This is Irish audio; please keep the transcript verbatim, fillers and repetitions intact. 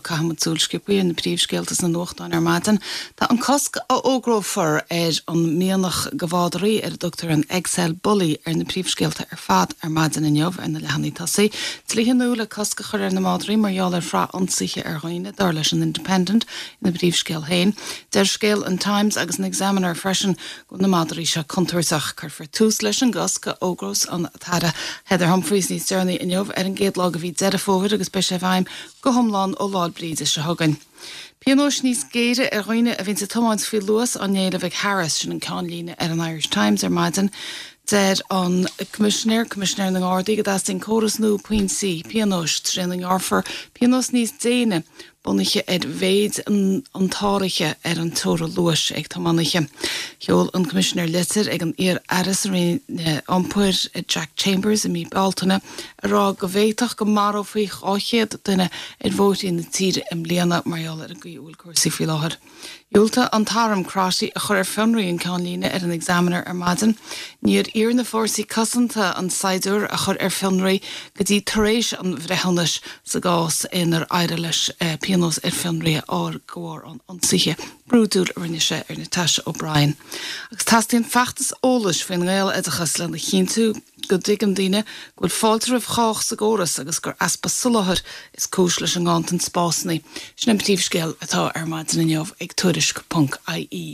Caithfimid súil sciobtha ar na príomhscéalta sna nuachtáin ar maidin. Tá an cosc a fhógrófar ar an mianach do mhadraí ar a dtugtar an XL Bully ar na príomhscéalta ar fad ar maidin inniu ar na leathanaigh tosaigh. Dlíthe nua le cosc a chur ar na madraí mar gheall ar shraith ionsaithe ar dhaoine dar leis an Independent ina bpríomhscéal féin. Deir scéal an Times agus an Examiner freisin go na madraí seo contúirteach cuirfear tús leis an gcosc a fhógrós an tAire Heather Humphreys níos deireanaí inniu ar an gcéad lá de mhí Deireadh Fómhair agus beidh sé i bhfeidhm go hiomlán ó Lá Bríde seo chugainn. Pionóis níos géire ar dhaoine a bhíonn ag tiomáint faoi luas á n-éileamh ag Harris sin an ceannlíne ar an Irish Times ar maidin. Deir an Coimisinéir Coimisinéir na nGardaí go dteastaíonn córas nua pointí pionóis trína ngearrfar pionós níos déine bunaithe ar mhéid an, an tsáraithe ar an teora luais ag tiománaithe. Sheol an Coimisinéir litir ag an iar-aire sa Roinn Iompair Jack Chambers i mí Bealtaine a rá go bhféadfadh go marófaí dhá chéad duine ar bhóithre na tíre i mbliana mar gheall ar an gcaoi a bhfuil cúrsaí faoi láthair. Dhiúltaigh an t-arm Crotty a chur ar fionraí an ceannlíne ar an Examiner ar maidin, níor iarr na fórsaí cosanta an saighdiúir a chur ar fionraí go dtí tar éis an bhreithiúnais sa gcás inar éirigh leis pionós ar fionraí a fháil de bharr an ionsaithe brúidiúil a rinne sé ar Natasha O'Brien. Agus teastaíonn feachtas eolais faoin nGaeloideachas lena chinntiú go dtuigeann daoine go bhfuil fáilte roimh chách sa gcóras agus gur easpa soláthair is cúis leis an nganntan spásanna. Sin an príomhscéal atá ar maidin inniu ag tuairisc.ie.